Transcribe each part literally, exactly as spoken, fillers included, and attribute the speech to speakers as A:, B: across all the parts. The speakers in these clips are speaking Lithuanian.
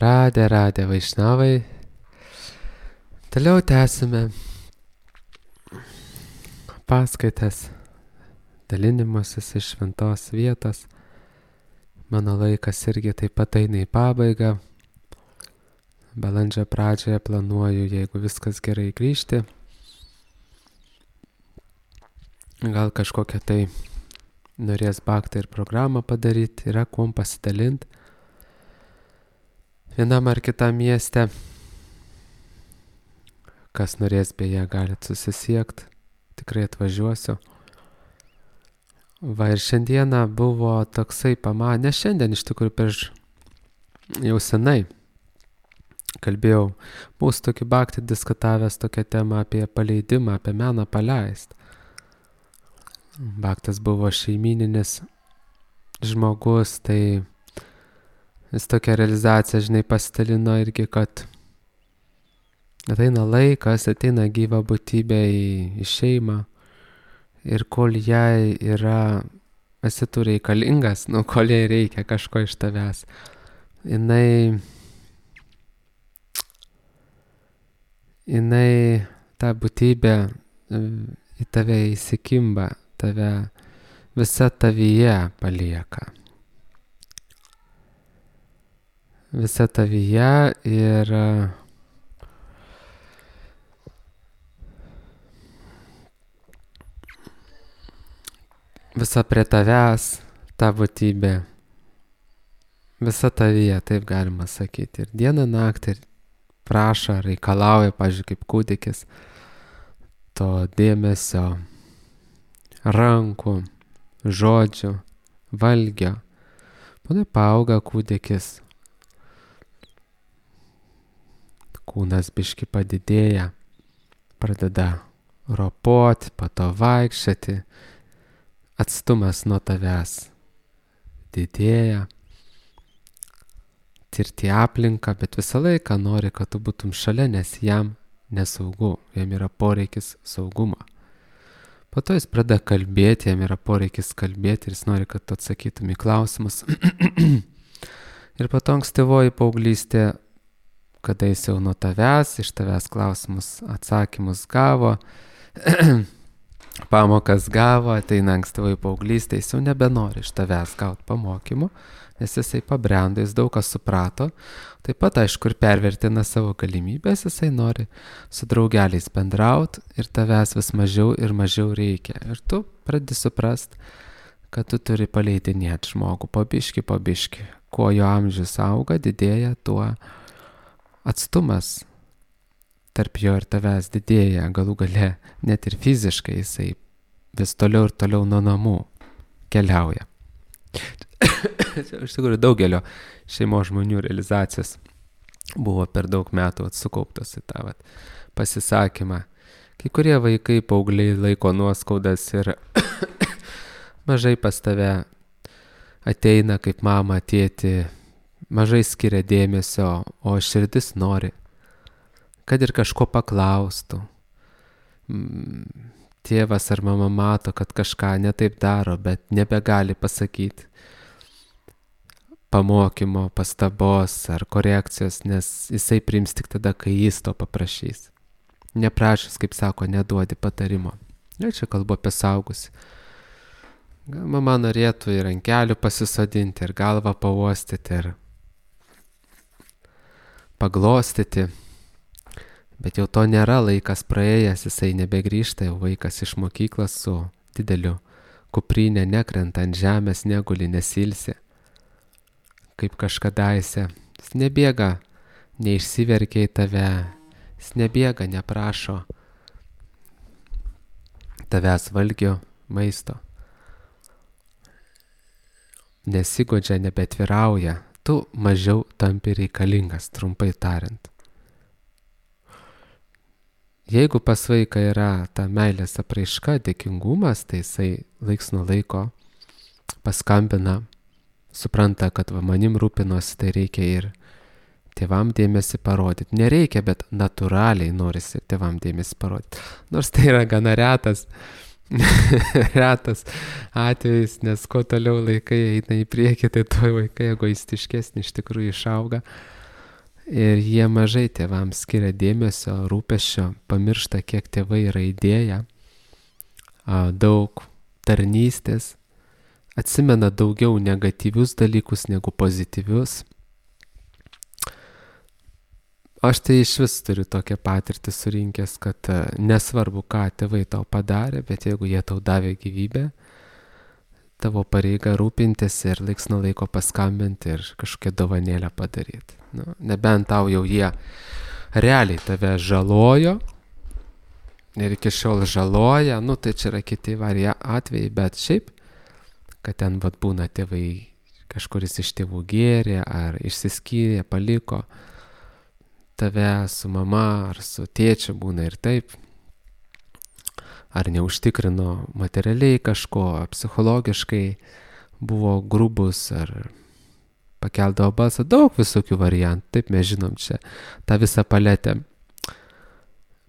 A: Radė, radė Vaišnavai. Toliau tęsime paskaitas, dalinimasis iš šventos vietos. Mano laikas irgi taip pat eina į pabaigą. Balandžio pradžioje planuoju, jeigu viskas gerai, grįžti. Gal kažkokią tai norės baktą ir programą padaryti, yra kuom pasidalinti. Vienam ar kitam mieste. Kas norės, beje, galit susisiekti. Tikrai atvažiuosiu. Va ir šiandieną buvo toksai pamanė, ne šiandien, iš tikrųjų prieš jau senai kalbėjau, buvau su tokiu baktį diskutavęs tokią temą apie paleidimą, apie meną paleist. Baktas buvo šeimyninis žmogus, tai jis tokią realizaciją, žinai, pasidalino irgi, kad ateina laikas, ateina gyva būtybė į, į šeimą ir kol jai yra, esi tu reikalingas, nu, kol jai reikia kažko iš tavęs, jinai, jinai ta būtybė į tave įsikimba, tave visa tavyje palieka. Visa tavyje ir visa prie tavęs ta būtybė. Visa tavyje, taip galima sakyti. Ir dieną naktį prašo, reikalauja, pavyzdžiui, kaip kūdikis, to dėmesio, rankų, žodžių, valgio. Ponai paauga kūdikis, kūnas biški padidėja, pradeda ropoti, po to vaikščioti, atstumas nuo tavęs didėja, tirti aplinką, bet visą laiką nori, kad tu būtum šalia, nes jam nesaugu, jam yra poreikis saugumo. Po to jis pradeda kalbėti, jam yra poreikis kalbėti ir jis nori, kad tu atsakytum į klausimus. Ir po to ankstyvoji paauglystė, kada jis jau nuo tavęs, iš tavęs klausimus, atsakymus gavo, pamokas gavo, ateina ankstyvoji paauglystė, jis jau nebenori iš tavęs gauti pamokymų, nes jisai pabrendo, jis daug kas suprato, taip pat, aišku, ir pervertina savo galimybės, jisai nori su draugeliais bendrauti ir tavęs vis mažiau ir mažiau reikia. Ir tu pradedi suprast, kad tu turi paleidinėti žmogų po biškį, po biškį. Kuo jo amžius auga, didėja, tuo atstumas tarp jo ir tavęs didėja, galų gale net ir fiziškai jisai vis toliau ir toliau nuo namų keliauja. Iš tikrųjų daugelio šeimos žmonių realizacijos buvo per daug metų atsukauptos į tą vat, pasisakymą. Kai kurie vaikai, paaugliai laiko nuoskaudas ir mažai pas tave ateina kaip mama, tėti, mažai skiria dėmesio, o širdis nori, kad ir kažko paklaustų. Tėvas ar mama mato, kad kažką netaip daro, bet nebegali pasakyti pamokymo, pastabos ar korekcijos, nes jisai priims tik tada, kai jis to paprašys. Neprašys, kaip sako, neduodi patarimo. Ir čia kalbu apie suaugusį. Mama norėtų ir ant kelių pasisodinti, ir galvą pauostyti, ir paglostyti. Bet jau to nėra, laikas praėjęs, jisai nebegrįžta, jau vaikas iš mokyklos su dideliu kuprinė nekrenta ant žemės, neguli, nesilsi. Kaip kažkadaise. Jis nebėga, neišsiverkia į tave, jis nebėga, neprašo tavęs valgio, maisto. Nesigodžia, nebetvirauja, tu mažiau tampi reikalingas, trumpai tariant. Jeigu pas vaiką yra ta meilės apraiška, dėkingumas, tai jisai laiks nuo laiko paskambina, supranta, kad va, manim rūpinosi, tai reikia ir tėvam dėmesį parodyti. Nereikia, bet natūraliai norisi tėvam dėmesį parodyti. Nors tai yra gana retas, retas atvejis, nes kuo toliau laikai eina į priekį, tai tuo vaikai egoistiškesni iš tikrųjų išauga. Ir jie mažai tėvams skiria dėmesio, rūpesčio, pamiršta, kiek tėvai yra įdėję, daug tarnystės, atsimena daugiau negatyvius dalykus negu pozityvius. Aš tai iš vis turiu tokią patirtį surinkęs, kad nesvarbu, ką tėvai tau padarė, bet jeigu jie tau davė gyvybę, tavo pareiga rūpintis ir laiks nuo laiko paskambinti ir kažkokią dovanėlę padaryti. Nu, nebent tau jau jie realiai tave žalojo ir iki šiol žaloja, nu tai čia yra kiti varia atvejai, bet šiaip, kad ten vat būna tėvai, kažkuris iš tėvų gėrė ar išsiskyrė, paliko tave su mama ar su tėčiu, būna ir taip. Ar neužtikrino materialiai kažko, psichologiškai buvo grubus, ar pakeldavo balsą, daug visokių variantų, taip mes žinom čia tą visą paletę.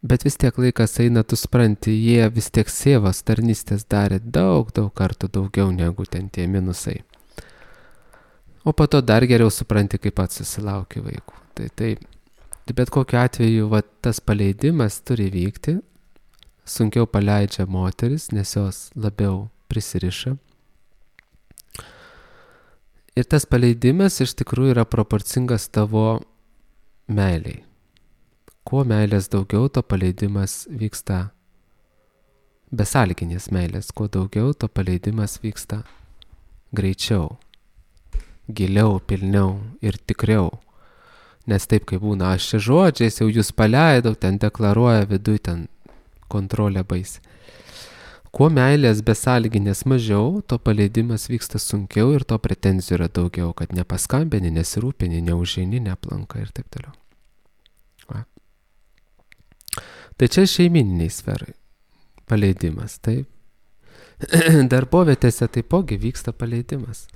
A: Bet vis tiek laikas eina, tu supranti, jie vis tiek sėvas tarnystės darė daug, daug kartų daugiau negu ten tie minusai. O po to dar geriau supranti, kaip pats susilauki vaikų. Tai, tai, tai bet kokiu atveju va, tas paleidimas turi vykti. Sunkiau paleidžia moteris, nes jos labiau prisiriša. Ir tas paleidimas iš tikrųjų yra proporcingas tavo meiliai. Kuo meilės daugiau, to paleidimas vyksta besąlyginės meilės. Kuo daugiau, to paleidimas vyksta greičiau, giliau, pilniau ir tikriau. Nes taip, kaip būna, aš čia žodžiais jau jūs paleidau, ten deklaruoja viduj, ten kontrolė baisi. Kuo meilės besąlyginės mažiau, to paleidimas vyksta sunkiau ir to pretenzijų yra daugiau, kad nepaskambini, nesirūpini, neužeini, neaplanka ir taip toliau. Va. Tai čia šeimininiai sferai paleidimas, taip. Darbovietėse taipogi vyksta paleidimas.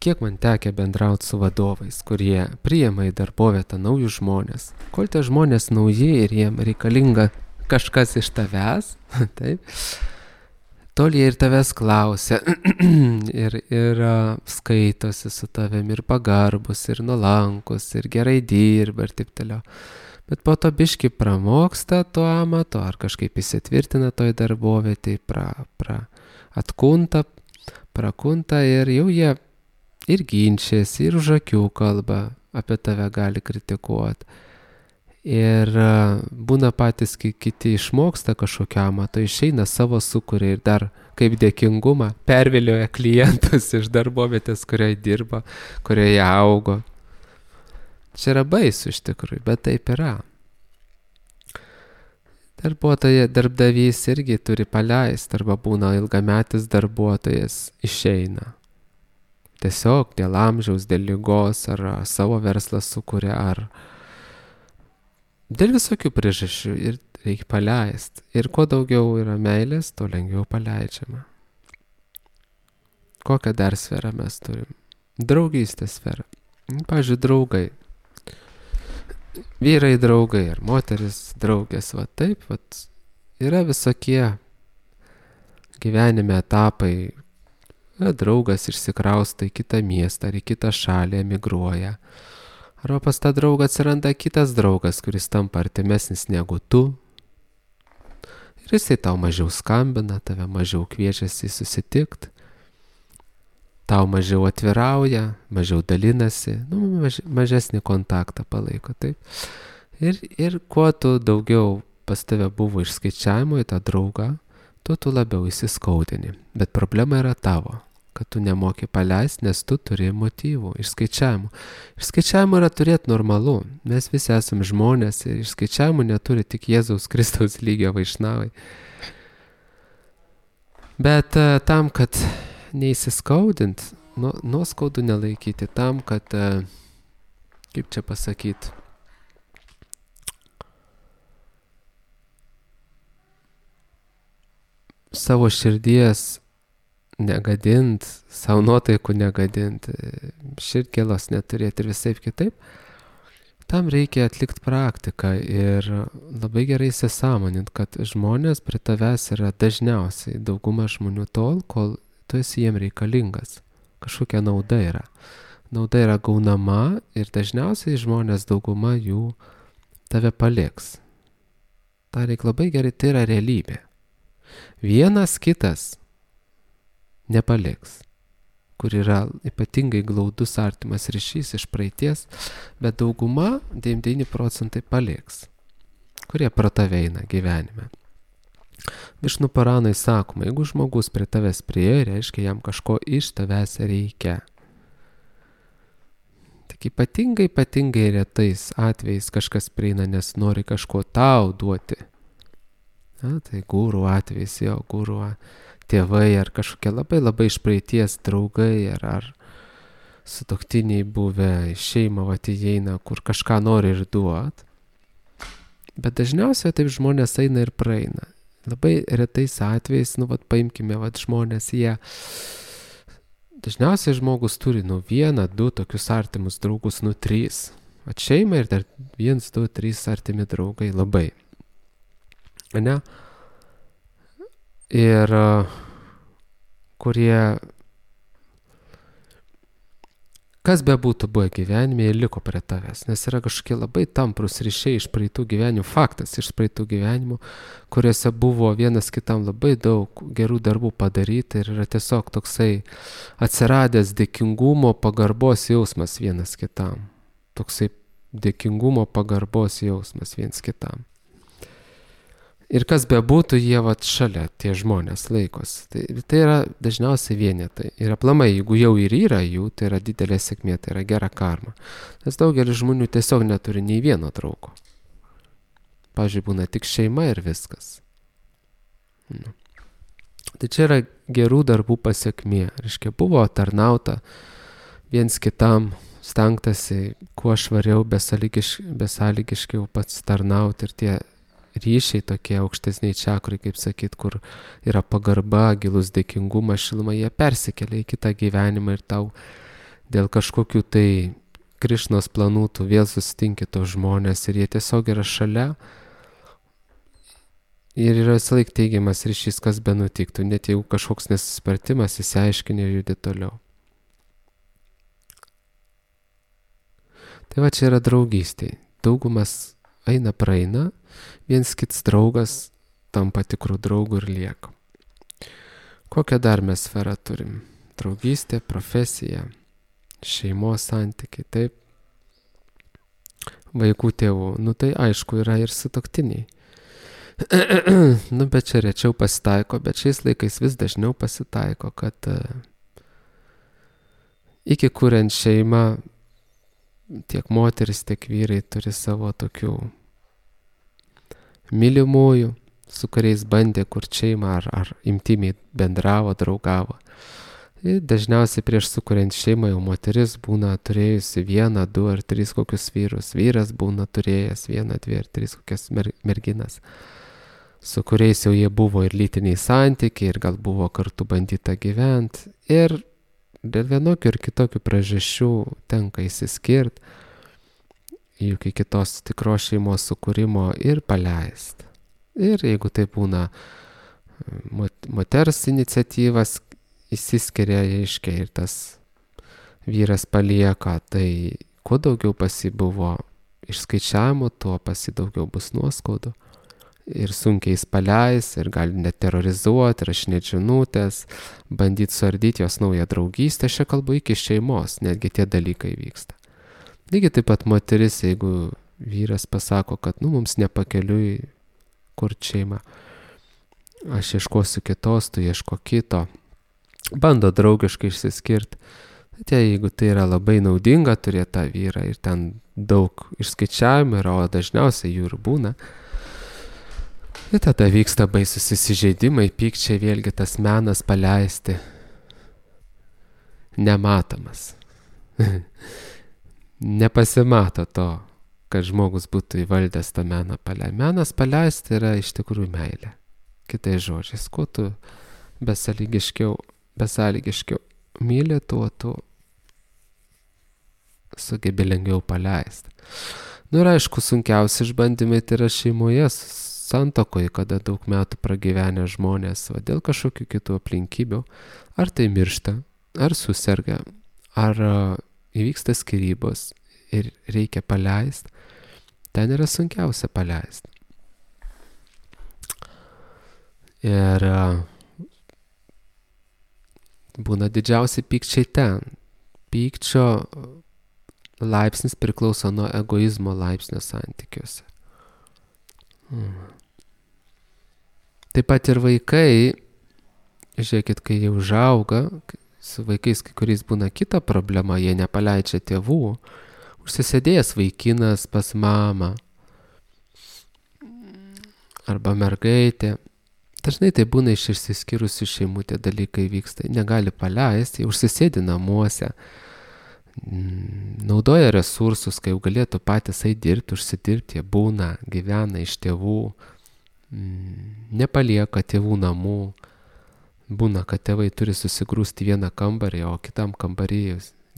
A: Kiek man tekia bendrauti su vadovais, kurie priima į darbovietę naujus žmonės. Kol tie žmonės nauji ir jiem reikalinga kažkas iš tavęs, taip, tol jie ir tavęs klausia ir, ir skaitosi su tavim ir pagarbus, ir nuolankus, ir gerai dirba ir taip toliau. Bet po to biški pramoksta to amato, ar kažkaip įsitvirtina toj darbovietėj, pra, pra, atkunta, prakunta ir jau jie ir ginčiasi, ir už akių kalba, apie tave gali kritikuoti. Ir būna patys kiti išmoksta kažkokią amatą, išeina savo sukuria ir dar kaip dėkingumą pervilioja klientus iš darbovietės, kurioje dirba, kurioje augo. Čia yra baisu iš tikrųjų, bet taip yra. Darbuotoja, darbdavys irgi turi paleisti, arba būna ilgametis darbuotojas išeina. Tiesiog dėl amžiaus, dėl ligos, ar savo verslą sukuria, ar dėl visokių priežasčių ir reikia paleisti. Ir kuo daugiau yra meilės, tuo lengviau paleidžiama. Kokią dar sferą mes turim? Draugystės sferą. Pavyzdžiui, draugai. Vyrai draugai ir moteris draugės. Va taip, va, yra visokie gyvenime etapai. Draugas išsikrausto į kitą miestą ar į kitą šalį, emigruoja. Arba pas tą draugą atsiranda kitas draugas, kuris tampa artimesnis negu tu. Ir jisai tau mažiau skambina, tave mažiau kviečiasi susitikti. Tau mažiau atvirauja, mažiau dalinasi, nu, maž, mažesnį kontaktą palaiko, taip. Ir, ir kuo tu daugiau pas tave buvo išskaičiavimo į tą draugą, tuo tu labiau įsiskaudini. Bet problema yra tavo, kad tu nemoki paleisti, nes tu turi motyvų, išskaičiavimų. Išskaičiavimų yra turėti normalu. Mes visi esame žmonės ir išskaičiavimų neturi tik Jėzaus Kristaus lygio vaišnavai. Bet uh, tam, kad neįsiskaudint, nu, nuoskaudų nelaikyti, tam, kad, uh, kaip čia pasakyti, savo širdies negadint, savo nuotaikų negadint, širdgėlos neturėti ir visaip kitaip, tam reikia atlikti praktiką ir labai gerai įsisąmonint, kad žmonės prie tavęs yra dažniausiai dauguma žmonių tol, kol tu esi jiem reikalingas. Kažkokia nauda yra. nauda yra gaunama ir dažniausiai žmonės dauguma jų tave paliks. Ta reikia labai gerai, tai yra realybė. Vienas kitas nepaliks, kur yra ypatingai glaudus artimas ryšys iš praeities, bet dauguma, devyniasdešimt devyni procentai paliks, kurie pro tave eina gyvenime. Višnu Puranai sakoma, jeigu žmogus prie tavęs priėjo, reiškia jam kažko iš tavęs reikia. Tik ypatingai, ypatingai retais atvejais kažkas prieina, nes nori kažko tau duoti. Na, tai gūrų atvejais, jo, gūrų tėvai ar kažkokie labai labai iš praeities draugai ar, ar sutuoktiniai buvę, šeima vat įeina, kur kažką nori ir duot. Bet dažniausiai taip žmonės eina ir praeina. Labai retais atvejais, nu, vat paimkime, vat žmonės, jie, dažniausiai žmogus turi, nu, vieną, du tokius artimus draugus, nu, trys. Vat šeima ir dar viens, du, trys artimi draugai, labai. Ne? Ir kurie, kas be būtų buvę gyvenime, jie liko prie tavęs, nes yra kažkokie labai tamprus ryšiai iš praeitų gyvenimų, faktas iš praeitų gyvenimų, kuriuose buvo vienas kitam labai daug gerų darbų padaryti ir yra tiesiog toksai atsiradęs dėkingumo pagarbos jausmas vienas kitam. Toksai dėkingumo pagarbos jausmas vienas kitam. Ir kas be būtų, jie vat šalia tie žmonės laikosi. Tai, tai yra dažniausiai vienetai. Ir aplamai, jeigu jau ir yra jų, tai yra didelė sėkmė, tai yra gera karma. Nes daugelis žmonių tiesiog neturi nei vieno draugo. Pavyzdžiui, būna tik šeima ir viskas. Nu. Tai čia yra gerų darbų pasiekmė. Reiškia, buvo tarnauta viens kitam, stengtasi kuo švariau, besąlygiš, besąlygiškiau pats tarnauti ir tie ryšiai tokie aukštesniai čakrai, kaip sakyt, kur yra pagarba, gilus dėkingumas, šiluma, jie persikelia į kitą gyvenimą ir tau dėl kažkokių tai Krišnos planų tu vėl susitinki tos žmonės ir jie tiesiog yra šalia ir yra visąlaik teigiamas ryšys, kas be nutiktų, net jeigu kažkoks nesusipratimas, įsiaiškini ir judi toliau. Tai va čia yra draugystė. Daugumas eina praeina, viens kits draugas tampa tikrų draugų ir lieka. Kokią dar mes sferą turim? Draugystė, profesija, šeimos santykiai, taip. Vaikų tėvų, nu tai aišku yra ir sutuoktiniai. Nu bet čia rečiau pasitaiko, bet šiais laikais vis dažniau pasitaiko, kad iki kuriant šeimą tiek moteris, tiek vyrai turi savo tokių mylimųjų, su kuriais bandė kurt šeimą ar, ar intimiai bendravo, draugavo. Ir dažniausiai prieš sukuriant šeimą jau moteris būna turėjusi vieną, du ar tris kokius vyrus. Vyras būna turėjęs vieną, dvi ar tris kokias mer merginas, su kuriais jau jie buvo ir lytiniai santykiai, ir gal buvo kartu bandyta gyventi. Ir dėl vienokių ir kitokių priežasčių tenka įsiskirti, juk iki kitos tikros šeimos sukūrimo ir paleisti. Ir jeigu tai būna moters iniciatyvas, įsiskiria, aiškiai, ir tas vyras palieka, tai kuo daugiau pasi buvo išskaičiavimo, tuo pasi daugiau bus nuoskaudų. Ir sunkiai jis paleis, ir gali net terrorizuoti, rašinėti žinutės, bandyti suardyti jos naują draugystę. Aš kalbu iki šeimos, netgi tie dalykai vyksta. Lygiai taip pat moteris, jeigu vyras pasako, kad nu, mums nepakeliui kur šeima, aš ieškosiu kitos, tu ieško kito, bando draugiškai išsiskirti. Tai jeigu tai yra labai naudinga turėti tą vyrą ir ten daug išskaičiavimų yra, o dažniausiai jų ir būna, ir tada vyksta baisus įsižeidimai, pykčiai, vėlgi tas menas paleisti nematomas. Nepasimato to, kad žmogus būtų įvaldęs tą meną paleisti. Menas paleisti yra iš tikrųjų meilė. Kitais žodžiais, kuo tu besąlygiškiau, besąlygiškiau myli, tuo tu sugebi lengviau paleisti. Nu ir aišku, sunkiausi išbandymai tai yra šeimoje, santuokoje, kada daug metų pragyvenę žmonės, va, dėl kažkokių kitų aplinkybių, ar tai miršta, ar suserga, ar įvyksta skyrybos ir reikia paleisti, ten yra sunkiausia paleisti. Ir būna didžiausi pykčiai ten. Pykčio laipsnis priklauso nuo egoizmo laipsnio santykiuose. Hmm. Taip pat ir vaikai, žiūrėkit, kai jie užauga, su vaikais kai kuriais būna kita problema, jie nepaleidžia tėvų, užsisėdėjęs vaikinas pas mamą arba mergaitė. Dažnai tai būna iš išsiskyrusių šeimų tie dalykai vyksta, negali paleisti, jie užsisėdi namuose, naudoja resursus, kai jau galėtų patys eiti dirbti, užsidirbti, jie būna, gyvena iš tėvų, nepalieka tėvų namų, būna, kad tėvai turi susigrūsti vieną kambarį, o kitam kambarį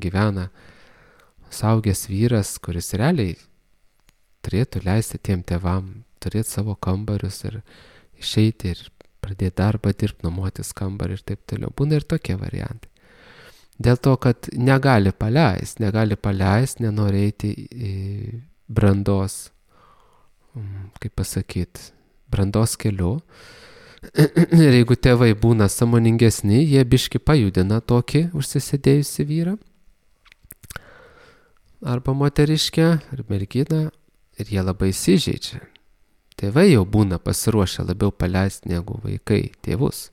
A: gyvena suaugęs vyras, kuris realiai turėtų leisti tiem tėvam turėti savo kambarius ir išeiti ir pradėti darbą, dirbti, nuomotis kambarį ir taip toliau. Būna ir tokie variantai. Dėl to, kad negali paleisti, negali paleisti, nenori eiti į brandos, kaip pasakyti, brandos keliu. Ir jeigu tėvai būna sąmoningesni, jie biški pajudina tokį užsisėdėjusi vyrą arba moteriškę ar merginą ir jie labai įsižeidžia. Tėvai jau būna pasiruošę labiau paleisti negu vaikai tėvus.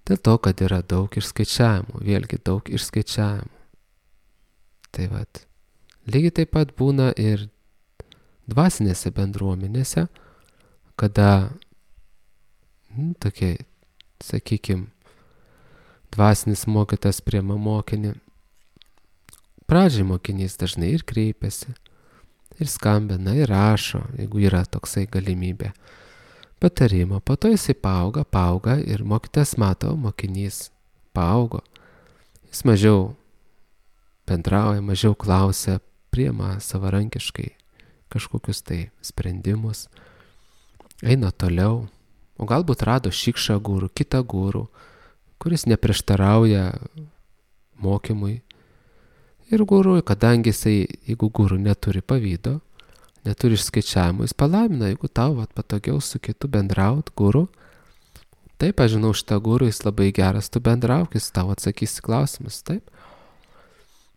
A: Dėl to, kad yra daug išskaičiavimų, vėlgi daug išskaičiavimų. Tai vat, lygiai taip pat būna ir dvasinėse bendruomenėse, kada nu, tokie, sakykime, dvasinis mokytas priema mokinį. Pradžiai mokinys dažnai ir kreipiasi, ir skambina, ir rašo, jeigu yra toksai galimybė. Patarimo, po to jisai paauga, paauga ir mokytas mato, mokinys paaugo. Jis mažiau bendrauja, mažiau klausia, priima savarankiškai kažkokius tai sprendimus, eina toliau, o galbūt rado šikšą gurų, kitą gurų, kuris neprieštarauja mokymui. Ir gurų, kadangi jisai, jeigu gurų neturi pavydo, neturi išskaičiavimų, jis palaimina, jeigu tau vat, patogiau su kitu bendraut, gurų. Taip, aš žinau, šitą gurų, jis labai geras, tu bendrauk, jis tau atsakys klausimus, taip.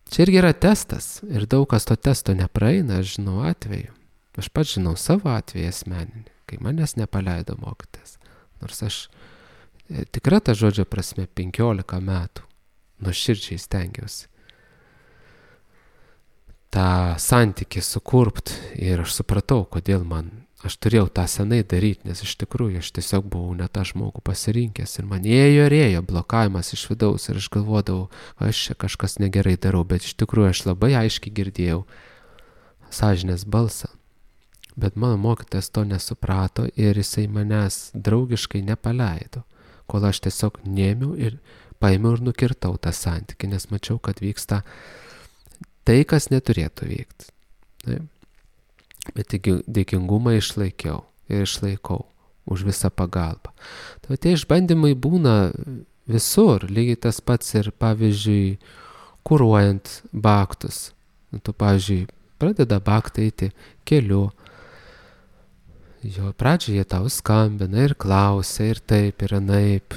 A: Čia irgi yra testas ir daug kas to testo nepraeina, aš žinau atveju. Aš pats žinau savo atveju asmeninį, kai manęs nepaleido mokytis. Nors aš tikra ta žodžio prasme penkiolika metų nuoširdžiai stengiausi tą santykį sukurt ir aš supratau, kodėl man, aš turėjau tą senai daryti, nes iš tikrųjų aš tiesiog buvau ne tą žmogų pasirinkęs ir man ėjo ir ėjo blokavimas iš vidaus ir aš galvodavau, aš čia kažkas negerai darau, bet iš tikrųjų aš labai aiškiai girdėjau sąžinės balsą. Bet mano mokytojas to nesuprato ir jisai manęs draugiškai nepaleido, kol aš tiesiog nėmiau ir paėmiau ir nukirtau tą santykį, nes mačiau, kad vyksta tai, kas neturėtų vykti. Taip. Bet dėkingumą išlaikiau ir išlaikau už visą pagalbą. Tai tie išbandymai būna visur, lygiai tas pats ir, pavyzdžiui, kuruojant baktus. Tu, pavyzdžiui, pradeda baktą eiti keliu. Jo pradžioje tau skambina ir klausia, ir taip, ir anaip.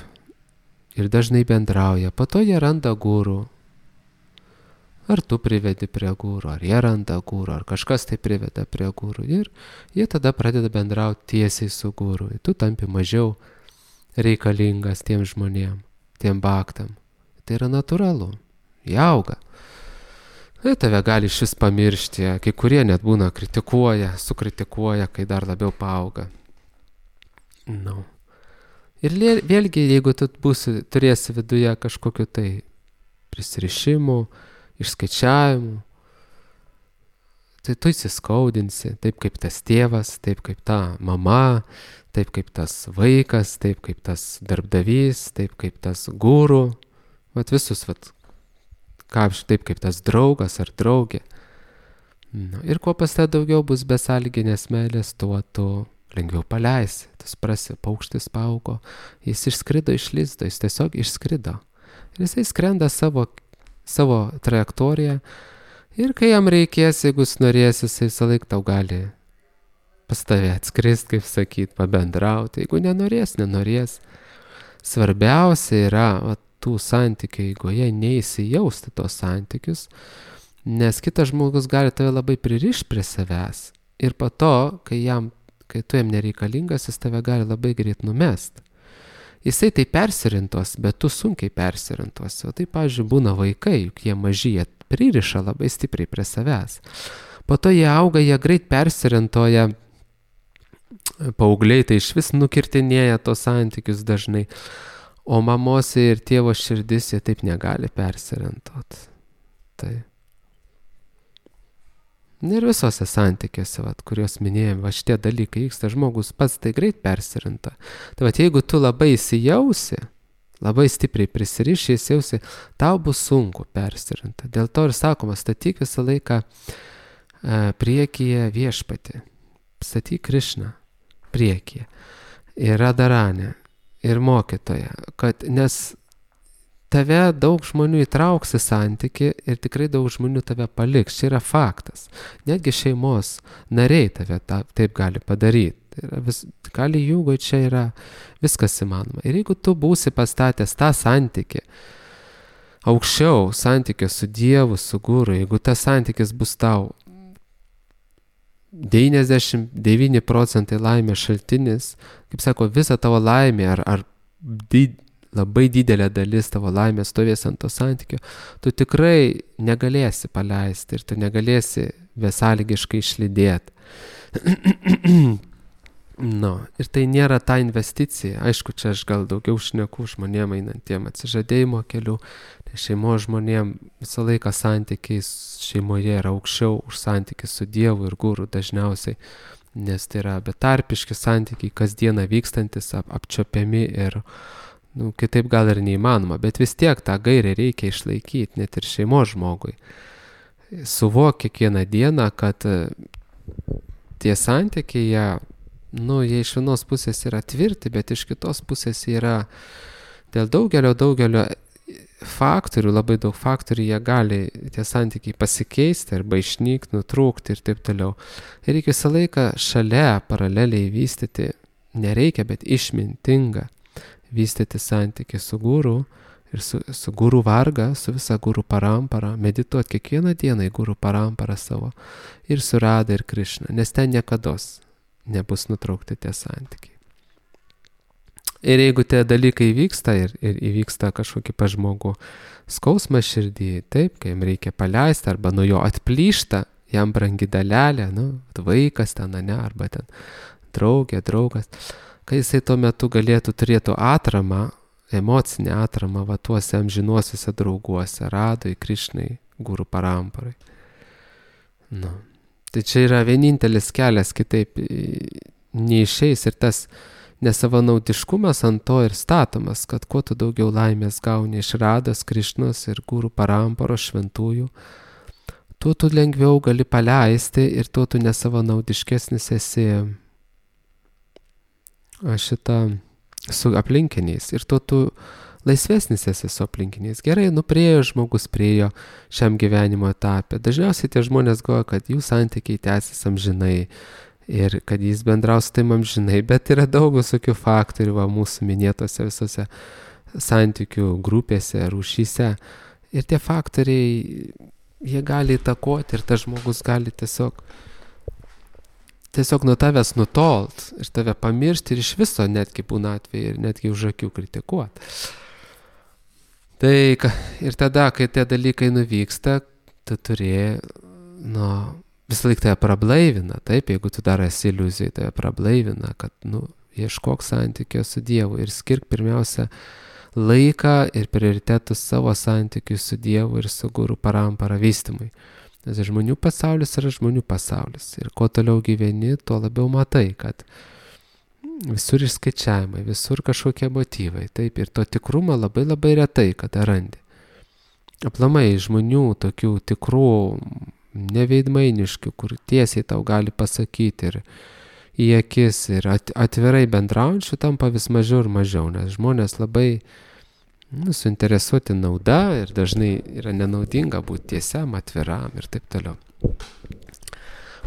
A: Ir dažnai bendrauja. Po to jie randa gurų. Ar tu privedi prie gūrų, ar jie randa gūrų, ar kažkas tai priveda prie gūrų. Ir jie tada pradeda bendrauti tiesiai su gūrų. Tu tampi mažiau reikalingas tiem žmonėm, tiem baktam. Tai yra natūralu. Jie auga. Ir tave gali šis pamiršti. Kai kurie net būna kritikuoja, sukritikuoja, kai dar labiau paauga. No. Ir vėlgi, jeigu tu būsi, turėsi viduje kažkokiu tai prisirišimų, išskaičiavimų, tai tu įsiskaudinsi, taip kaip tas tėvas, taip kaip ta mama, taip kaip tas vaikas, taip kaip tas darbdavys, taip kaip tas guru, vat visus, vat, ką, taip kaip tas draugas ar draugė. Na, ir kuo pas te daugiau bus besąlyginės meilės, tuo tu lengviau paleisi. Tas prasi, paukštis paaugo, jis išskrido iš lizdo, jis tiesiog išskrido. Ir jisai skrenda savo savo trajektoriją ir kai jam reikės, jeigu jis norės, jisai visą laiką tau gali pas tave atskrist, kaip sakyt, pabendrauti. Jeigu nenorės, nenorės. Svarbiausia yra va, tų santykių eigoje neįsijausti tos santykius, nes kitas žmogus gali tave labai pririšti prie savęs. Ir po to, kai, jam, kai tu jam nereikalingas, jis tave gali labai greit numest. Jisai tai persirintos, bet tu sunkiai persirintos. O tai, pavyzdžiui, būna vaikai, juk jie maži, jie pririša labai stipriai prie savęs. Po to jie auga, jie greit persirintoja, paaugliai tai iš vis nukirtinėja tos santykius dažnai. O mamos ir tėvo širdis jie taip negali persirintot. Tai. Ir visose santykiuose, vat, kuriuos minėjom, va šitie dalykai vyksta, žmogus pats tai greit persirinta. Tai vat, jeigu tu labai įsijausi, labai stipriai prisiriši, įsijausi, tau bus sunku persirinta. Dėl to ir sakoma, statyk visą laiką e, priekyje viešpatį. Statyk Krišną priekyje. Ir Radaranę. Ir mokytoją. Kad, nes tave daug žmonių įtrauks į santykį ir tikrai daug žmonių tave paliks. Čia yra faktas. Netgi šeimos nariai tave ta, taip gali padaryti. Tai yra vis, gali jūgo, čia yra viskas įmanoma. Ir jeigu tu būsi pastatęs tą santykį aukščiau, santykį su Dievu, su Guru, jeigu tas santykis bus tau devyniasdešimt devyni procentai laimės šaltinis, kaip sako, visa tavo laimė ar, ar did, labai didelė dalis tavo laimės stovės ant to santykio, tu tikrai negalėsi paleisti ir tu negalėsi besąlygiškai išlydėti. No, ir tai nėra ta investicija. Aišku, čia aš gal daugiau šneku žmonėm einantiem atsižadėjimo keliu. Tai šeimo žmonėm visą laiką santykiai šeimoje yra aukščiau už santykį su Dievu ir Guru dažniausiai, nes tai yra betarpiški santykiai, kasdieną vykstantis, ap, apčiopiami ir nu, kitaip gal ir neįmanoma, bet vis tiek tą gairę reikia išlaikyti, net ir šeimo žmogui. Suvok kiekvieną dieną, kad tie santykiai, jie nu, jie iš vienos pusės yra tvirti, bet iš kitos pusės yra dėl daugelio, daugelio faktorių, labai daug faktorių, jie gali tie santykiai pasikeisti arba išnykti, nutrūkti ir taip toliau. Ir reikia visą laiką šalia paraleliai vystyti, nereikia, bet išmintinga vystyti santykį su Guru ir su, su Guru varga, su visa Guru parampara, medituoti kiekvieną dieną į Guru paramparą savo ir su Rada ir Krišna, nes ten niekados nebus nutraukti tie santykiai. Ir jeigu tie dalykai vyksta ir, ir įvyksta kažkokį pažmogų skausmą širdį, taip, kai jam reikia paleisti arba nuo jo atplyšta, jam brangi dalelė, nu, vaikas ten, ne, arba ten draugė, draugas, kai jisai tuo metu galėtų turėtų atramą, emocinę atramą, va tuose amžinuosiuose drauguose, Radui, Krišnai, Guru paramparai. Nu. Tai čia yra vienintelis kelias, kitaip neišeis ir tas nesavanaudiškumas ant to ir statomas, kad kuo tu daugiau laimės gauni iš Rados, Krišnos ir Guru paramparos šventųjų, tuo tu lengviau gali paleisti ir tuo tu nesavanaudiškesnis esi šitą su aplinkiniais ir tuo tu laisvesnis esi su aplinkiniais. Gerai, nu priejo žmogus priejo šiam gyvenimo etapė. Dažniausiai tie žmonės galvoja, kad jų santykiai tęsis amžinai ir kad jis bendraus taip amžinai, bet yra daug visokių faktorių va, mūsų minėtose visose santykių grupėse, rūšyse. Ir tie faktoriai, jie gali įtakoti ir tas žmogus gali tiesiog tiesiog nuo tavęs nutolt ir tave pamiršti ir iš viso netgi būna atveju ir netgi už akių kritikuoti. Tai ir tada, kai tie dalykai nuvyksta, tu turi, nu, visą laiką tave prablaivina, taip, jeigu tu dar esi iliuzijai, tave prablaivina, kad, nu, ieškok santykio su Dievu ir skirk pirmiausia laiką ir prioritetus savo santykiui su Dievu ir su Guru parampara vystymui. Nes žmonių pasaulis yra žmonių pasaulis. Ir kuo toliau gyveni, tuo labiau matai, kad visur išskaičiavimai, visur kažkokie motyvai. Taip, ir to tikrumo labai labai retai, kada randi. Aplamai žmonių tokių tikrų, neveidmainiškių, kur tiesiai tau gali pasakyti ir į akis ir atvirai bendraujančių tampa vis mažiau ir mažiau, nes žmonės labai nu, suinteresuoti nauda ir dažnai yra nenaudinga būti tiesiam, atviram ir taip toliau.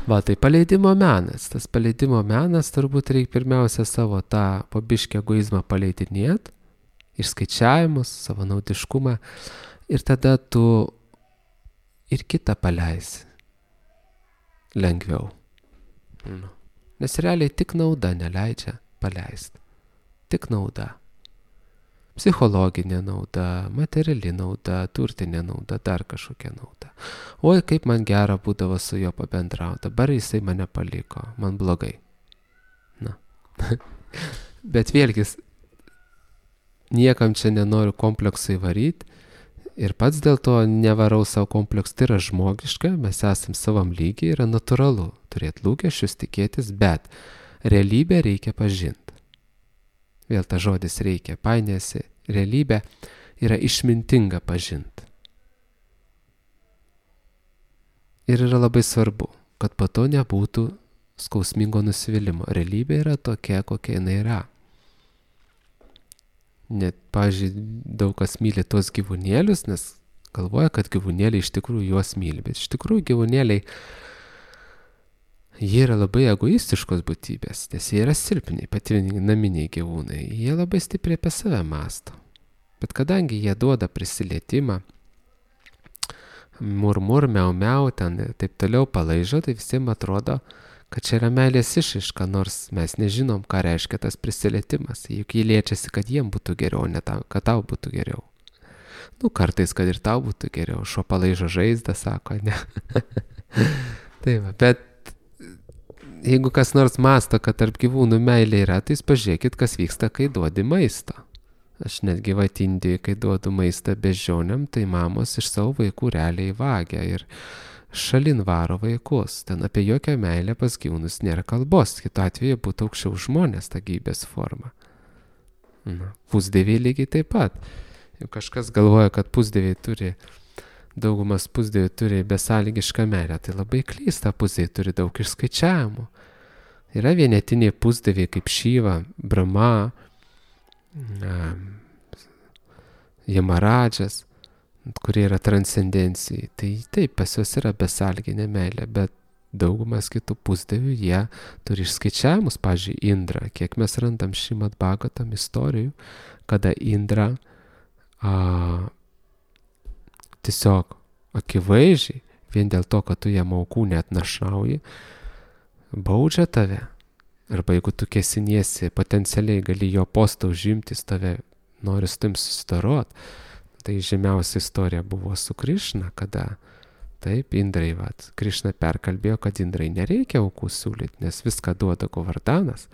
A: Va, tai paleidimo menas. Tas paleidimo menas turbūt reikia pirmiausia savo tą pabiškį egoizmą paleidinėti, išskaičiavimus, savo naudiškumą ir tada tu ir kitą paleisi lengviau. Nu. Nes realiai tik nauda neleidžia paleisti. Tik nauda. Psichologinė nauda, materiali nauda, turtinė nauda, dar kažkokia nauda. Oi, kaip man gera būdavo su juo pabendrauti, dabar jisai mane paliko, man blogai. Na. Bet vėlgi, niekam čia nenoriu kompleksų įvaryti ir pats dėl to nevarau savo kompleksų, tai yra žmogiška, mes esam savam lygiai, yra natūralu turėti lūkesčius, tikėtis, bet realybę reikia pažinti. Vėl ta žodis reikia, painiasi, realybė yra išmintinga pažinti. Ir yra labai svarbu, kad po to nebūtų skausmingo nusivylimo. Realybė yra tokia, kokia jinai yra. Net, pavyzdžiui, daug kas myli tuos gyvūnėlius, nes galvoja, kad gyvūnėliai iš tikrųjų juos myli. Bet iš tikrųjų gyvūnėliai, jie yra labai egoistiškos būtybės, nes jie yra silpni, pati naminiai gyvūnai. Jie labai stipriai apie save mąsto. Bet kadangi jie duoda prisilietimą, murmur, miau, miau, ten ir taip toliau palaižo, tai visiems atrodo, kad čia yra meilės išraiška, nors mes nežinom, ką reiškia tas prisilietimas. Juk jie liečiasi, kad jiem būtų geriau, ne tam, kad tau būtų geriau. Nu, kartais, kad ir tau būtų geriau. Šuo palaižo žaizdą, sako, ne. Tai va, bet jeigu kas nors mąsto, kad tarp gyvūnų meilė yra, tai pažiūrėkit, kas vyksta, kai duodi maisto. Aš netgi vat Indijoj, kai duodu maistą beždžionėm, tai mamos iš savo vaikų realiai vagia ir šalin varo vaikus. Ten apie jokią meilę pas gyvūnus nėra kalbos. Kitu atveju būtų aukščiau žmonės ta gyvybės forma. Na, pusdieviai lygiai taip pat. Jau kažkas galvoja, kad pusdieviai turi, daugumas pusdieviai turi besąlygišką meilę, tai labai klysta, pusdieviai turi daug išskaičiavimų. Yra vienetiniai pusdieviai kaip Šiva, Brahma, Jamaradžas, kurie yra transcendencijai. Tai taip, pas juos yra besąlyginė meilė, bet daugumas kitų pusdievių, jie turi išskaičiavimus, pavyzdžiui, Indra. Kiek mes randam Šrimad Bhagavatam istorijų, kada Indra a, tiesiog akivaizdžiai, vien dėl to, kad tu jam aukų neatnašauji, baudžia tave. Arba jeigu tu kesiniesi, potencialiai gali jo postą užimti, tave nori su tim susidarot. Tai žemiausia istorija buvo su Krišna, kada taip, Indrai, vat, Krišna perkalbėjo, kad Indrai nereikia aukų siūlyti, nes viską duoda Govardanas.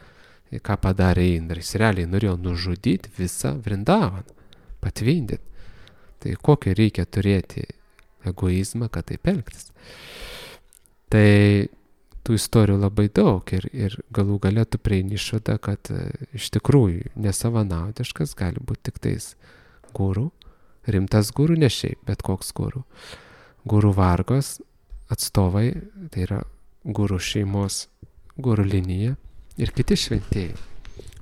A: Ir ką padarė Indrai? Jis realiai norėjo nužudyti visą Vrindavan, patvindyti. Tai kokį reikia turėti egoizmą, kad taip elgtis. Tai tų istorijų labai daug ir, ir galų gale tu prieini išvadą, kad iš tikrųjų nesavanaudiškas gali būti tik tais guru, rimtas guru, ne šiaip, bet koks guru. Guru vargos atstovai, tai yra guru šeimos, guru linija ir kiti šventieji.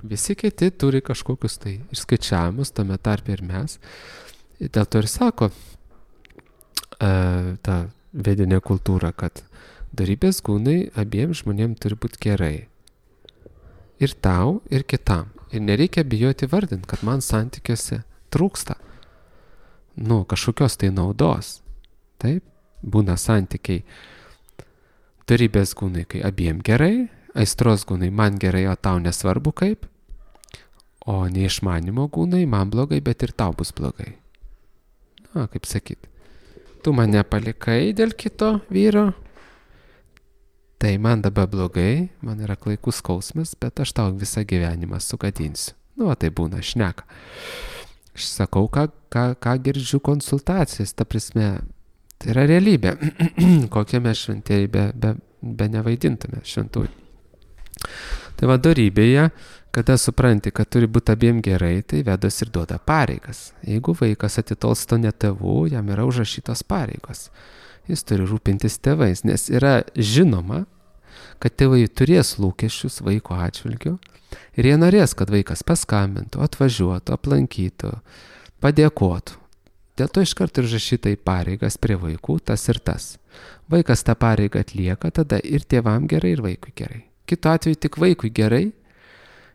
A: Visi kiti turi kažkokius tai išskaičiavimus, tame tarpe ir mes. Ir dėl to ir sako e, ta vedinė kultūra, kad dorybės gūnai abiem žmonėm turi būti gerai. Ir tau, ir kitam. Ir nereikia bijoti vardinti, kad man santykiuose trūksta. Nu, kažkokios tai naudos. Taip, būna santykiai. Dorybės gūnai, kai abiem gerai, aistros gūnai man gerai, o tau nesvarbu kaip. O neišmanimo gūnai man blogai, bet ir tau bus blogai. Na, kaip sakyt. Tu mane palikai dėl kito vyro. Tai man dabar blogai, man yra klaikus skausmas, bet aš tau visą gyvenimą sugadinsiu. Nu, o tai būna šneka. Aš sakau, ką, ką, ką girdžiu konsultacijas, ta prasme, tai yra realybė. Kokie mes šventieji be, be, be nevaidintume šventųjų. Tai va dorybėje, kada supranti, kad turi būti abiem gerai, tai vedas ir duoda pareigas. Jeigu vaikas atitolsta ne tėvų, jam yra užrašytos pareigos. Jis turi rūpintis tėvais, nes yra žinoma, kad tėvai turės lūkesčius vaiko atžvilgiu ir jie norės, kad vaikas paskambintų, atvažiuotų, aplankytų, padėkotų. Dėl to iškart ir užrašyta į pareigas prie vaikų tas ir tas. Vaikas tą pareigą atlieka, tada ir tėvam gerai, ir vaikui gerai. Kitu atveju tik vaikui gerai,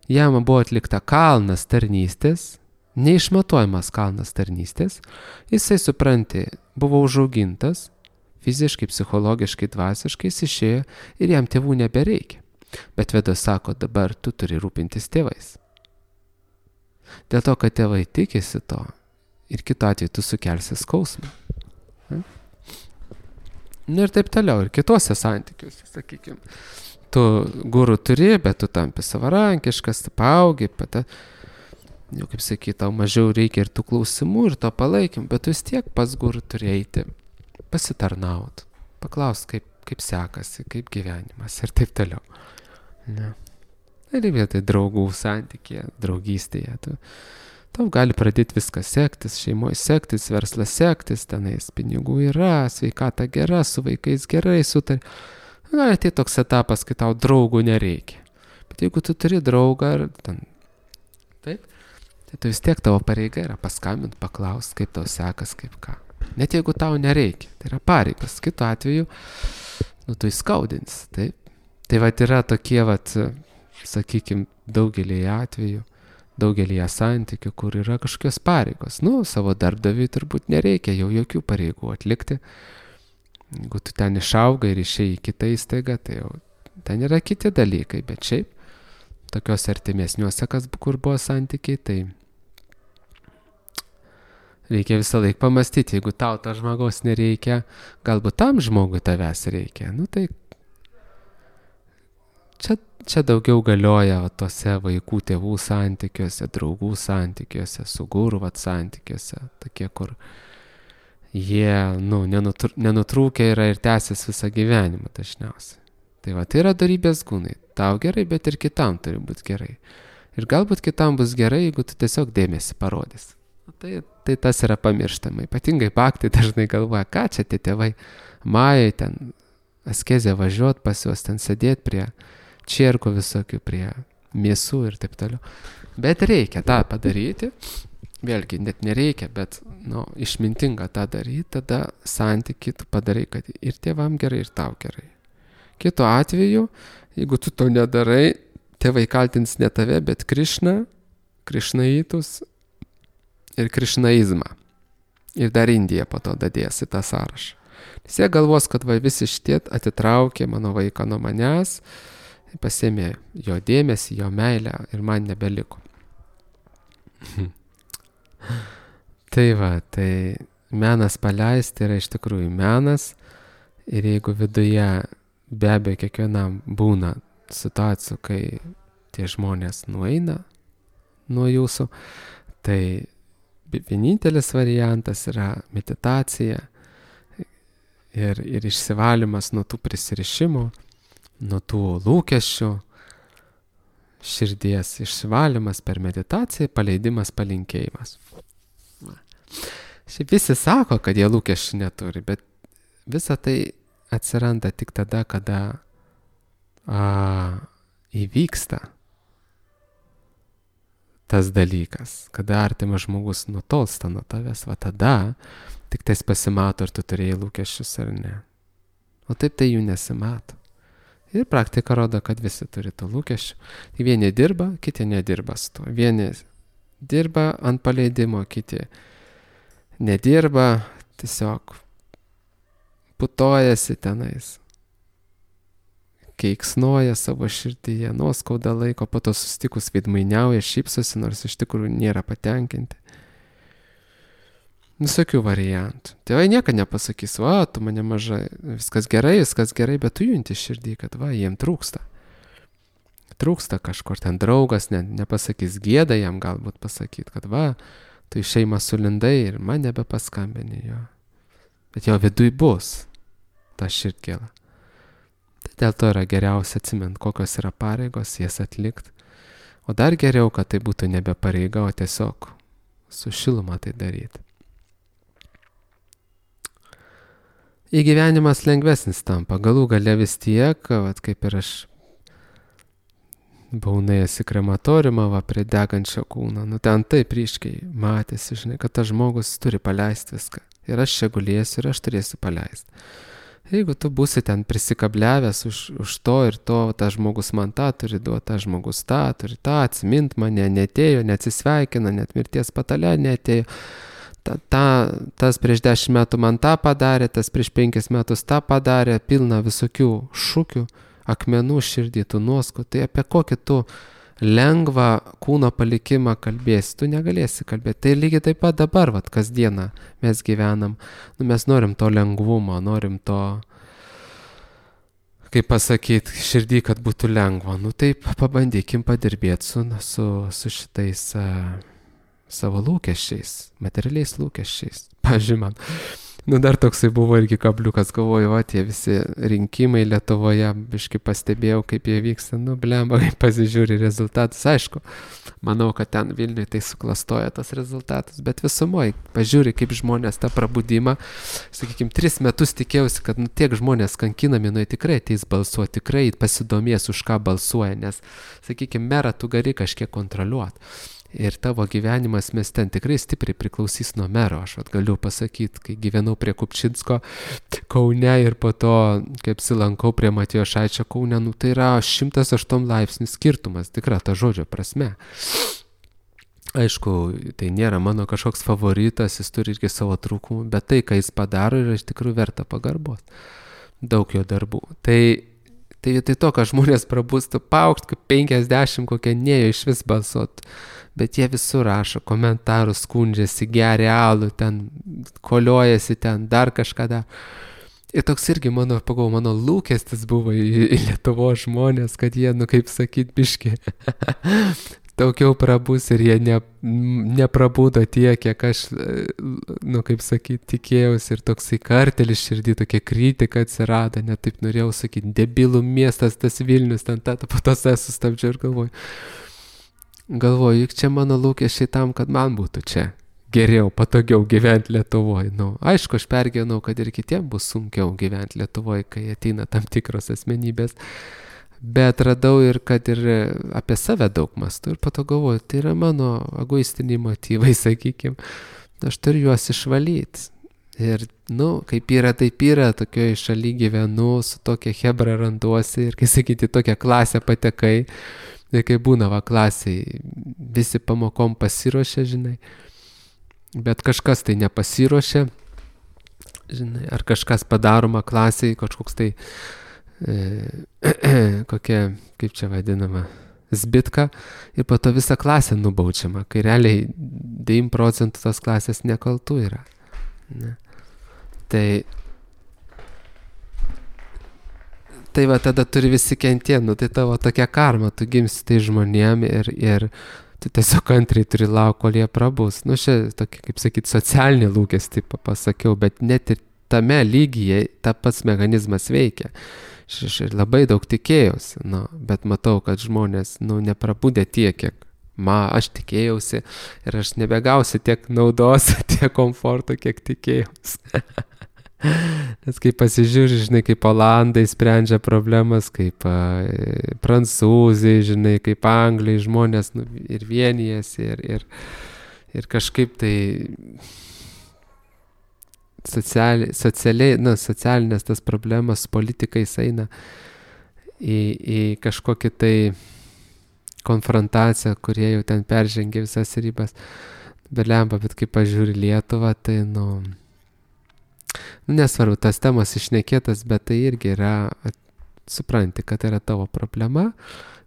A: jam buvo atlikta kalnas tarnystės, neišmatuojamas kalnas tarnystės, jisai supranti, buvo užaugintas, fiziškai, psichologiškai, dvasiškai, jis išėjo ir jam tėvų nebereikia. Bet Vedas sako, dabar tu turi rūpintis tėvais. Dėl to, kad tėvai tikisi to ir kitu atveju tu sukelsi skausmą. Na ir taip toliau, ir kitose santykiuose, sakykime. Tu gurų turi, bet tu tampi savarankiškas, tu paaugi, pata, jau kaip sakyt, tau mažiau reikia ir tų klausimų, ir to palaikym, bet tu vis tiek pas gurų turi eiti, pasitarnaut, paklaust, kaip, kaip sekasi, kaip gyvenimas ir taip toliau. Ne. Ir vietoj draugų santykėje, draugystėje, tu, tau gali pradėti viskas sektis, šeimoje sektis, verslas sektis, tenais pinigų yra, sveikata gera, su vaikais gerai sutari. Gali tai toks etapas, kai tau draugų nereikia. Bet jeigu tu turi draugą, ar ten, taip, tai tu vis tiek tavo pareiga yra paskambinti, paklausti, kaip tau sekas, kaip ką. Net jeigu tau nereikia, tai yra pareigas. Kitu atveju, nu, tu įskaudins, taip. Tai vat yra tokie, vat, sakykime, daugelį atvejų, daugelį santykių, kur yra kažkokios pareigos. Nu, savo darbdaviui turbūt nereikia jau jokių pareigų atlikti. Jeigu tu ten išaugai ir išėjai į kitą įstaigą, tai jau ten yra kiti dalykai, bet šiaip tokios artimesniuose, kas kur buvo santykiai, tai reikia visą laiką pamastyti, jeigu tau to žmogaus nereikia, galbūt tam žmogui tavęs reikia, nu tai čia, čia daugiau galioja va, tose vaikų tėvų santykiuose, draugų santykiuose, su guru vat santykiuose, tokie, kur jie, nu, nenutr nenutrūkę yra ir tęsis visą gyvenimą dažniausiai. Tai va, tai yra dorybės gūnai. Tau gerai, bet ir kitam turi būti gerai. Ir galbūt kitam bus gerai, jeigu tu tiesiog dėmesį parodys. Tai, tai tas yra pamirštama. Ypatingai baktai dažnai galvoja, ką čia tie tėvai majai ten askezė važiuot pas juos, ten sėdėti prie čierkų visokių, prie mėsų ir taip toliau. Bet reikia tą padaryti. Vėlgi, net nereikia, bet nu, išmintinga tą daryti, tada santykį tu padarai, kad ir tėvam gerai, ir tau gerai. Kitu atveju, jeigu tu to nedarai, tėvai kaltins ne tave, bet Krišną, krišnaitus ir krišnaizmą. Ir dar Indiją po to dadės į tą sąrašą. Nes jie galvos, kad va, visi šitie atitraukė mano vaiką nuo manęs, pasėmė jo dėmesį, jo meilę ir man nebeliko. Tai va, tai menas paleisti yra iš tikrųjų menas ir jeigu viduje be abejo kiekvienam būna situacijų, kai tie žmonės nueina nuo jūsų, tai vienintelis variantas yra meditacija ir, ir išsivalymas nuo tų prisirišimų, nuo tų lūkesčių, širdies išsivalymas per meditaciją, paleidimas, palinkėjimas. Šiaip visi sako, kad jie lūkesčių neturi, bet visa tai atsiranda tik tada, kada a, įvyksta tas dalykas, kada artimas žmogus nutolsta nuo tavęs, va tada tik tais pasimato, ar tu turėjai lūkesčius ar ne. O taip tai jų nesimato. Ir praktika rodo, kad visi turi tų lūkesčių. Tai vieni dirba, kiti nedirba su tuo. Vieni dirba ant paleidimo, kiti nedirba, tiesiog putojasi tenais. Keiksnoja savo širdyje, nuoskauda laiko, po to susitikus veidmainiauja, šypsosi, nors iš tikrųjų nėra patenkinti. Visokių variantų. Tėvai niekada nepasakys, va, tu mane mažai, viskas gerai, viskas gerai, bet tu junti širdį, kad va, jiem trūksta. Trūksta kažkur ten draugas, ne, nepasakys gėda jam galbūt pasakyti, kad va, tu į šeimą sulindai ir man nebepaskambini jo. Bet jo viduj bus ta širdgėla. Tai dėl to yra geriausia atsimint, kokios yra pareigos, jas atlikti. O dar geriau, kad tai būtų nebe pareiga, o tiesiog su šiluma tai daryti. Įgyvenimas lengvesnis tampa, galų gale vis tiek, vat, kaip ir aš buvau nuėjęs į krematoriumą, va, prie degančio kūno. Nu, ten taip ryškiai matėsi, žinai, kad tas žmogus turi paleisti viską. Ir aš čia gulėsiu ir aš turėsiu paleisti. Jeigu tu būsi ten prisikabliavęs už, už to ir to, tas žmogus man tą turi duoti, tas žmogus tą turi tą, atsimint mane, netėjo, neatsisveikina, net mirties patale netėjo. Ta, ta, tas prieš dešimt metų man tą padarė, tas prieš penkis metus tą padarė, pilna visokių šūkių, akmenų širdį, tų nuoskų. Tai apie kokį tu lengvą kūno palikimą kalbėsi, tu negalėsi kalbėti. Tai lygiai taip pat dabar, vat, kasdieną mes gyvenam. Nu, mes norim to lengvumo, norim to, kaip pasakyti, širdį, kad būtų lengva. Nu taip, pabandykim padirbėti su, su, su šitais uh, savo lūkesčiais, materialiais lūkesčiais. Pavyzdžiui, man, nu dar toksai buvo irgi kabliukas, galvoju, va, tie visi rinkimai Lietuvoje, biškai pastebėjau, kaip jie vyksta, nu, blemba, kaip pasižiūri rezultatus, aišku, manau, kad ten Vilniuje tai suklastoja tas rezultatus, bet visumoje, pažiūri, kaip žmonės tą prabudimą, sakykime, tris metus tikėjausi, kad nu, tiek žmonės kankinami, nu, tikrai ateis balsuoti, tikrai pasidomės, už ką balsuoja, nes, sakykime, merą tu gali kažkiek kontroliuoti. Ir tavo gyvenimas mes ten tikrai stipriai priklausys nuo mero. Aš vat, galiu pasakyti, kai gyvenau prie Kupčinsko Kaune ir po to, kaip silankau prie Matijošaičio Kaune, nu, tai yra šimtas aštuoni laipsnių skirtumas, tikra ta žodžio prasme. Aišku, tai nėra mano kažkoks favoritas, jis turi irgi savo trūkumų, bet tai, ką jis padaro, yra iš tikrųjų verta pagarbos. Daug jo darbų. Tai Tai vietoj to, kad žmonės prabūstų paukšt, kaip penkiasdešimt kokie nejo iš vis balsuot, bet jie visur rašo komentarus, skundžiasi, geria alų, ten koliojasi, ten dar kažką dar. Ir toks irgi mano, pagau, mano lūkestis buvo į, į Lietuvos žmonės, kad jie, nu kaip sakyt, biški, daugiau prabus ir jie ne, neprabudo tiek, kiek aš, nu kaip sakyt, tikėjausi ir toksai kartelis širdį, tokia kritika atsirado, net taip norėjau sakyti, debilų miestas tas Vilnius, ten tą, po to save sustabdžiau ir galvoju, galvoju, juk čia mano lūkesčiai tam, kad man būtų čia geriau, patogiau gyventi Lietuvoje. Nu, aišku, aš pergyvenau, kad ir kitiems bus sunkiau gyventi Lietuvoje, kai ateina tam tikros asmenybės. Bet radau ir, kad ir apie save daug mastu ir po to galvoju, tai yra mano egoistiniai motyvai, sakykime, aš turiu juos išvalyti. Ir, nu, kaip yra, taip yra, tokioje šaly gyvenu, su tokia hebra randuosi ir, kai sakyti, tokią klasę patekai, ir kai būna va klasiai, visi pamokom pasiruošia, žinai, bet kažkas tai nepasiruošia, žinai, ar kažkas padaroma klasiai, kažkoks tai kokia, kaip čia vadinama, zbitka ir po to visą klasę nubaučiama, kai realiai devyniasdešimt procentų tos klasės nekaltų yra. Ne. Tai, tai va tada turi visi kentėti, nu tai tavo tokia karma, tu gimsi tai žmonėm ir, ir tu tiesiog antriai turi lauk, kol jie prabus. Nu čia tokia, kaip sakyt, socialinė lūkestį pasakiau, bet net ir tame lygyje ta pats mechanizmas veikia. Aš labai daug tikėjausi, nu, bet matau, kad žmonės nu, neprabūdė tiek, kiek ma, aš tikėjausi ir aš nebegausiu tiek naudos, tiek komforto, kiek tikėjausi. Nes kaip pasižiūri, žinai, kaip olandai sprendžia problemas, kaip a, prancūzai, žinai, kaip anglai, žmonės nu, ir vienijasi ir, ir, ir kažkaip tai Sociali, socialiai, nu, socialinės tas problemas politikais eina į, į kažkokį tai konfrontaciją, kurie jau ten peržengė visas ribas. Belemba, bet kai pažiūri Lietuvą, tai, nu, nu, nesvarbu, tas temas išnekėtas, bet tai irgi yra, supranti, kad yra tavo problema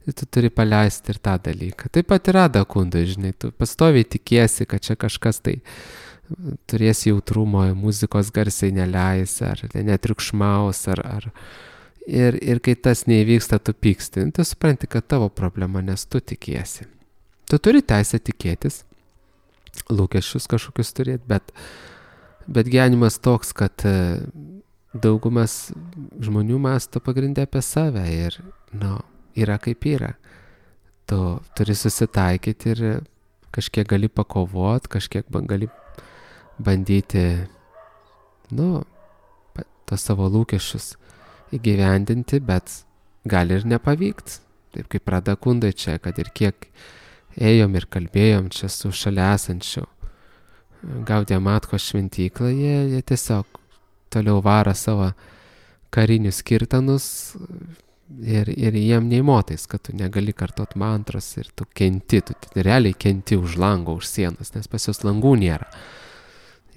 A: ir tu turi paleisti ir tą dalyką. Taip pat yra dakundai, žinai, tu pastoviai tikiesi, kad čia kažkas tai turės jautrumo, muzikos garsiai neleis, ar netriukšmaus, ar, ar ir, ir kai tas neįvyksta, tu pyksti, tu supranti, kad tavo problema, nes tu tikiesi. Tu turi teisę tikėtis, lūkesčius kažkokius turėti, bet, bet gyvenimas toks, kad daugumas žmonių mąsto pagrindę apie save ir, nu, yra kaip yra. Tu turi susitaikyti ir kažkiek gali pakovot, kažkiek gali bandyti, nu, tos savo lūkesčius įgyvendinti, bet gali ir nepavykti. taip kaip Radakundai čia, kad ir kiek ėjom ir kalbėjom čia su šalia esančiu Gaudiya Matkos šventyklą, jie, jie tiesiog toliau varo savo karinius kirtanus ir, ir jiem neįmotais, kad tu negali kartot mantros ir tu kenti, tu realiai kenti už lango, už sienos, nes pas juos langų nėra.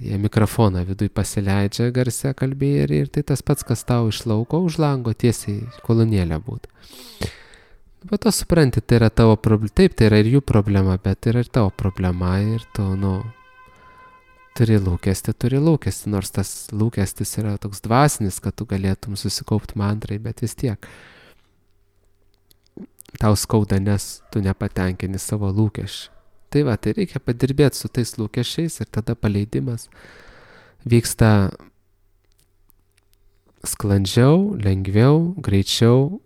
A: Jie mikrofoną viduj pasileidžia garsia kalbėję ir, ir tai tas pats, kas tau iš lauko už lango tiesiai kolonėlė būtų. Bet to supranti, tai yra tavo problema, taip, tai yra ir jų problema, bet tai yra ir tavo problema ir tu, nu, turi lūkestį, turi lūkestį, nors tas lūkestis yra toks dvasinis, kad tu galėtum susikaupti mantrai, bet vis tiek tau skauda, nes tu nepatenkini savo lūkesčių. Tai va, tai reikia padirbėti su tais lūkesčiais ir tada paleidimas vyksta sklandžiau, lengviau, greičiau,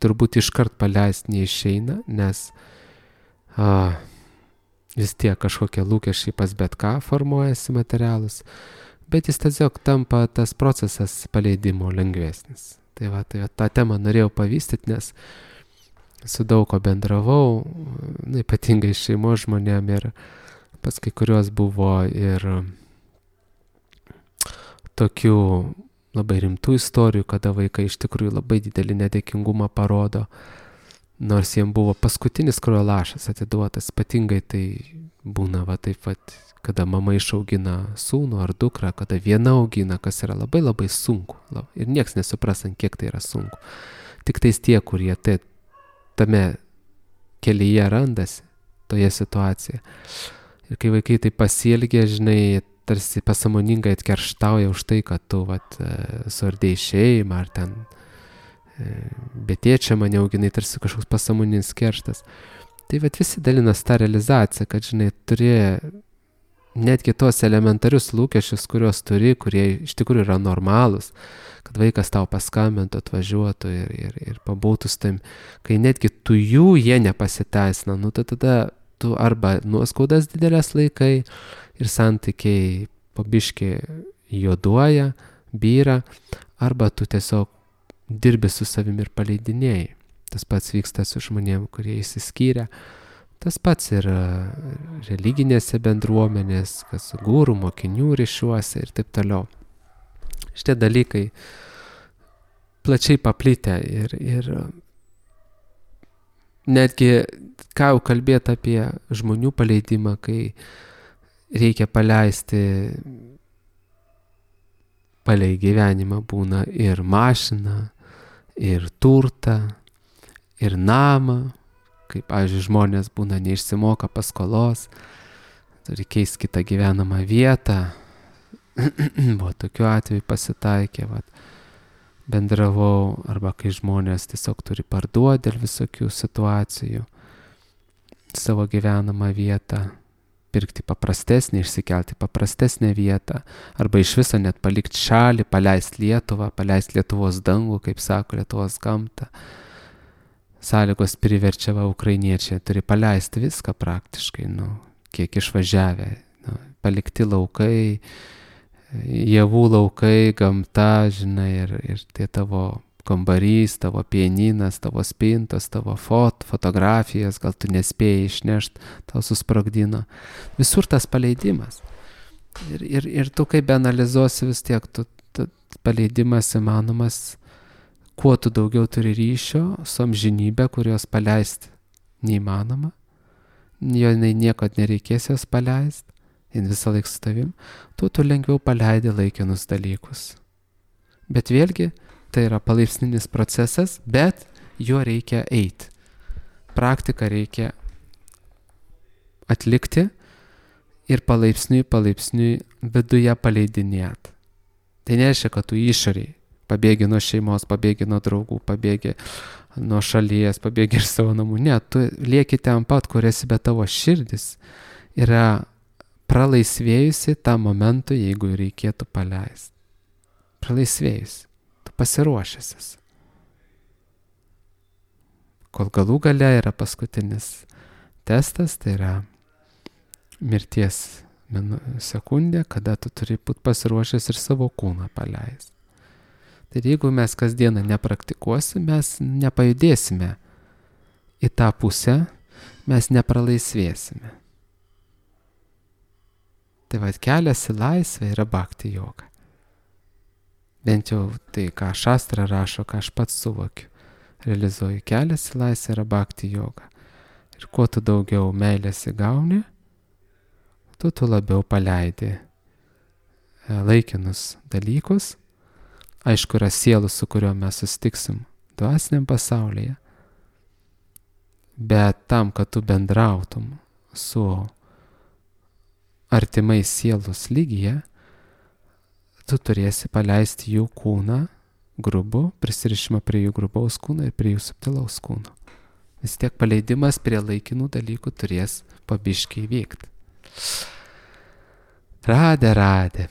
A: turbūt iškart paleisti neišeina, nes a, vis tiek kažkokie lūkesčiai pas bet ką formuojasi materialus, bet jis tiesiog tampa tas procesas paleidimo lengvesnis. Tai va, tai va, tą temą norėjau pavystyti, nes su daug ko bendravau, nu, ypatingai šeimos žmonėm ir pas kai kuriuos buvo ir tokių labai rimtų istorijų, kada vaikai iš tikrųjų labai didelį nedėkingumą parodo, nors jiems buvo paskutinis kraujo lašas atiduotas, ypatingai tai būna va taip pat, kada mama išaugina sūnų ar dukrą, kada viena augina, kas yra labai labai sunku ir nieks nesupras, ant kiek tai yra sunku. Tik tais tie, kurie tai tame kelyje randasi, toje situacijoje. Ir kai vaikai tai pasielgia, žinai, tarsi pasąmoningai atkerštauja už tai, kad tu, vat, suardėjai šeimą, ar ten be tėčio mane auginai, tarsi kažkoks pasąmoninis kerštas. Tai vat visi dalinas tą realizaciją, kad, žinai, turi netgi tos elementarius lūkesčius, kuriuos turi, kurie iš tikrųjų yra normalūs, kad vaikas tau paskambintų, atvažiuotų ir, ir, ir pabūtų su tavim, kai netgi tu jų jie nepasiteisina, nu tai tada tu arba nuoskaudas didelės laikai ir santykiai po biškį juoduoja, byra, arba tu tiesiog dirbi su savimi ir paleidinėjai. Tas pats vyksta su žmonėm, kurie išsiskyrė. Tas pats ir religinėse bendruomenės, kas gūrų, mokinių ryšiuose ir taip toliau. Šitie dalykai plačiai paplitę ir, ir netgi ką jau kalbėti apie žmonių paleidimą, kai reikia paleisti palei gyvenimą, būna ir mašiną, ir turtą, ir namą, kaip, pavyzdžiui, žmonės būna neišsimoka paskolos, turi keisti kitą gyvenamą vietą. Buvo tokiu atveju pasitaikė, vat, bendravau, arba kai žmonės tiesiog turi parduoti dėl visokių situacijų savo gyvenamą vietą, pirkti paprastesnį, išsikelti paprastesnę vietą, arba iš viso net palikti šalį, paleisti Lietuvą, paleisti Lietuvos dangų, kaip sako, Lietuvos gamtą. Sąlygos priverčia, va, ukrainiečiai turi paleisti viską praktiškai, nu, kiek išvažiavę, nu, palikti laukai, javų laukai, gamta, žinai, ir, ir tie tavo kambarys, tavo pianinas, tavo spintos, tavo fot, fotografijas, gal tu nespėjai išnešti, tau susprogdino. Visur tas paleidimas. Ir, ir, ir tu kaip analizuosi vis tiek, tu, tu, paleidimas įmanomas, kuo tu daugiau turi ryšio su amžinybė, kurios paleisti neįmanoma, jo niekad nereikės jos paleisti, jin visą laiką su tavim, tu tu lengviau paleidi laikinus dalykus. Bet vėlgi, tai yra palaipsninis procesas, bet juo reikia eiti. Praktiką reikia atlikti ir palaipsniui, palaipsniui viduje paleidinėti. Tai nereiškia, kad tu išoriai pabėgi nuo šeimos, pabėgi nuo draugų, pabėgi nuo šalies, pabėgi iš savo namų. Ne, tu lieki ten pat, kur esi, bet tavo širdis yra pralaisvėjusi tą momentą, jeigu reikėtų paleisti. Pralaisvėjusi. Tu pasiruošęs esi. Kol galų gale yra paskutinis testas, tai yra mirties sekundė, kada tu turi būti pasiruošęs ir savo kūną paleisti. Tai jeigu mes kasdieną nepraktikuosim, mes nepajudėsime į tą pusę mes nepralaisvėsime. Tai vad kelias į laisvę yra bhakti joga. Bent jau tai, ką šastra rašo, ką aš pats suvokiu. Realizuoju, kelias į laisvę yra bhakti joga. Ir kuo tu daugiau meilės įgauni, tu tu labiau paleidi laikinus dalykus. Aišku, yra sielų, su kuriuo mes susitiksim dvasiniam pasaulyje. Bet tam, kad tu bendrautum su artimais sielos lygyje, tu turėsi paleisti jų kūną grubų, prisirišimą prie jų grubaus kūno ir prie jų subtilaus kūno. Vis tiek paleidimas prie laikinų dalykų turės pabiškiai vykti. Radė, radė.